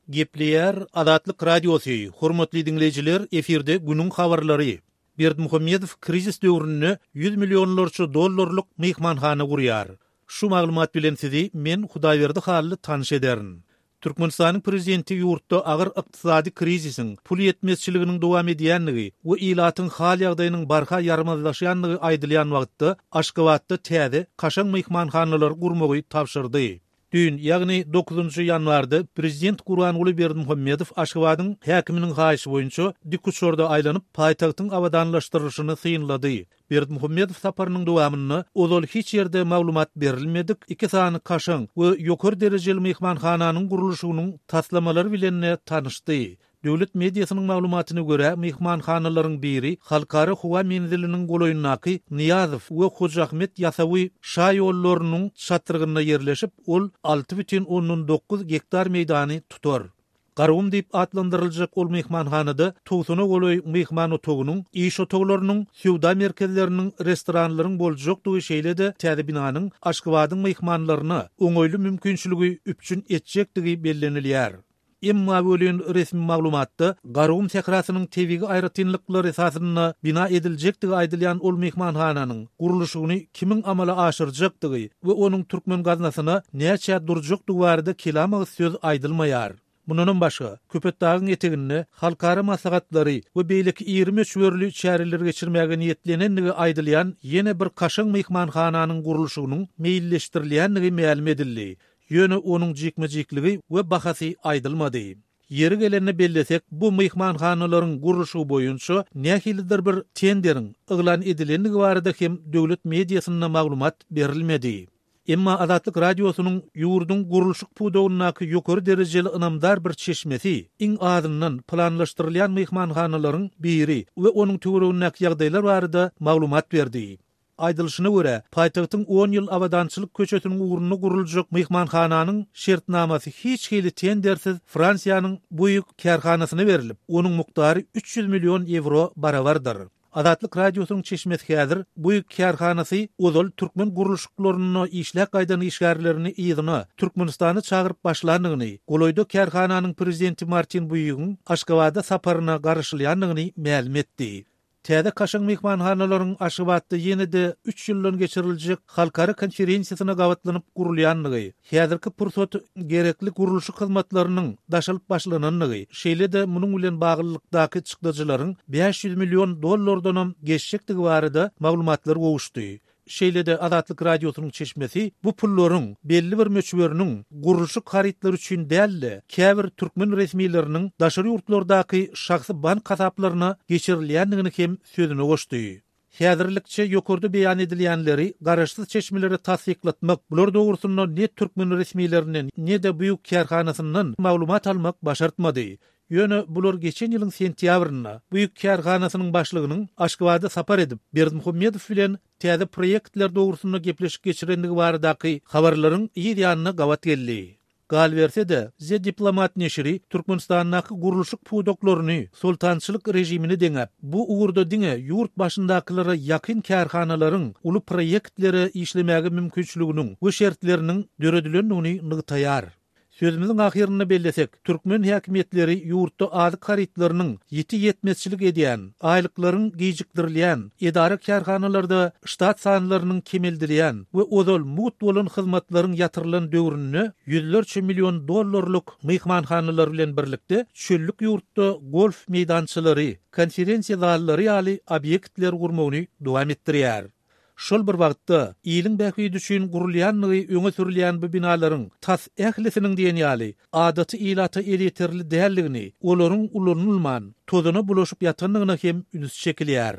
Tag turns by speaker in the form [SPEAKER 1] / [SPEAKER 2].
[SPEAKER 1] Gepleýär Azatlyk Radiosy, Hormatly diňleýjiler, efirde günüň habarlary. Berdimuhamedow krizis döwründe ýüz millionlarça dollarlyk myhmanhana gurýar. Şu maglumat bilen sizi men Hudaýberdi Hally tanyş ederin. Türkmenistanyň prezidenti ýurtda agyr ykdysady krizisiň, pul ýetmezçiliginiň dowam edýändigi we ilatyň hal-ýagdaýynyň barha ýaramazlaşýandygy aýdylýan wagtda Aşgabatda täze, kaşaň myhmanhanalary gurmagy tabşyrdy. Düýn, ýagny dokuzynjy ýanwarda prezident Gurbanguly Berdimuhamedow Aşgabadyň häkiminiň haýyşy boýunça dikuçarda aýlanyp, paýtagtyň abadanlaşdyrylyşyny synlady. Berdimuhamedow saparynyň dowamynda ozal hiç ýerde maglumat berilmedik iki sany kaşaň we ýokary derejeli myhmanhananyň gurluşygynyň taslamalary bilen-de tanyşdy. Döwlet mediasynyň maglumatyna görä, myhmanhanalaryň biri Halkara howa menziliniň golaýyndaky Nyýazow we Hoja Ahmet Ýasawy şaýollarynyň çatrygynda ýerleşip, ol 6,9 gektar meýdany tutar. Garagum diýip atlandyryljak ol myhmanhanada togsana golaý myhman otagynyň, iş otaglarynyň, söwda merkezleriniň, restoranlaryň boljakdygy şeýle-de täze binanyň Aşgabadyň myhmanlaryna oňaýly mümkinçiligi üpjün etjekdigi bellenilýär. Emma welin resmi maglumatda Garagum sährasynyň tebigy aýratynlyklary esasynda bina ediljekdigi aýdylýan ol myhmanhananyň gurluşygyny kimiň amala aşyrjakdygy we onuň türkmen gaznasyna näçä durjakdygy barada kelam agyz söz aýdylmaýar. Mundanam başga, Köpetdagyň eteginde halkara maslahatlary we beýleki iri möçberli çäreleri geçirmäge niýetlenendigi aýdylýan ýene bir kaşaň myhmanhananyň gurluşygynyň meýilleşdirilýändigi mälim edildi. Ýöne onuň jikme-jikligi we bahasy aýdylmady. Ýeri gelende bellesek, bu myhmanhanalaryň gurluşygy boýunça nähilidir bir tenderiň yglan edilendigi barada hem döwlet mediasynda maglumat berilmedi. Emma Azatlyk Radiosynyň ýurduň gurluşyk pudagyndaky ýokary derejeli ynamdar bir çeşmesi iň azyndan planlaşdyrylýan myhmanhanalaryň biri we onuň töweregindäki ýagdaýlar barada maglumat berdi. Aýdylyşyna görä, paýtagtyň On ýyl abadançylyk köçesiniň ugrunda guruljak myhmanhananyň şertnamasy hiç hili tendersiz Fransiýanyň Bouygues kärhanasyna berlip, onuň mukdary 300 million ýewro barabardyr. Azatlyk Radiosynyň çeşmesi häzir Bouygues kärhanasy ozal türkmen gurluşyklarynda işläp gaýdan işgärlerini yzyna, Türkmenistana çagyryp başlandygyny, golaýda kärhananyň prezidenti Martin Buýugyň Aşgabada saparyna garaşylýandygyny mälim etdi. Täze kaşaň myhmanhanalaryň Aşgabatda ýene-de üç ýyldan geçiriljek halkara konferensiýasyna gabatlanyp gurulýandygy, häzirki pursat gerekli gurluşyk hyzmatlarynyň daşalyp başlanandygy, şeýle-de munuň bilen baglylykdaky çykdajylaryň 500 million dollardanam geçjekdigi barada maglumatlar gowuşdy. Şeýle-de Azatlyk Radiosynyň çeşmesi bu pullaryň belli bir möçberiniň gurluşyk harytlary üçin däl-de, käbir türkmen resmileriniň daşary ýurtlardaky şahsy bank hasaplaryna geçirilýändigini hem sözüne goşdy. Häzirlikçe ýokarda beýan edilýänleri garaşsyz çeşmelere tassyklatmak, bular dogrusynda ne türkmen resmilerinden, ne-de Buig kärhanasyndan maglumat almak başartmady. Ýöne bular geçen ýylyň sentýabrynda Buig kärhanasynyň başlygynyň Aşgabada sapar edip, Berdimuhamedow bilen täze proýektler dogrusynda gepleşik geçirendigi baradaky habarlaryň yz ýanyna gabat geldi. Galyberse-de, The Diplomat neşiri Türkmenistandaky gurluşyk pudaklaryny soltançylyk režimine deňäp, bu ugurda diňe ýurt başyndakylara ýakyn kärhanalaryň uly proýektlere işlemäge mümkinçiliginiň we şertleriniň döredilendigini nygtaýar. Sözümiziň ahyrynda bellesek, türkmen häkimiýetleri ýurtda azyk harytlarynyň ýiti ýetmezçilik edýän, aýlyklaryň gijikdirilýän, edara-kärhanalarda ştat sanlarynyň kemeldilýän we ozal mugt bolan hyzmatlaryň ýatyrylan döwründe ýüzlerçe million dollarlyk myhmanhanalar bilen birlikde çöllük ýurtda golf meýdançalary, konferensiýa zallary ýaly obýektleri gurmagyny dowam etdirýär. Şol bir wagtda, iliň bähbidi üçin gurulýandygy öňe sürülýän bu binalaryň tas ählisiniň diýen ýaly adaty ilata elýeterli däldigini, olaryň ulanylman, tozana bulaşyp ýatandygyna hem üns çekilýär.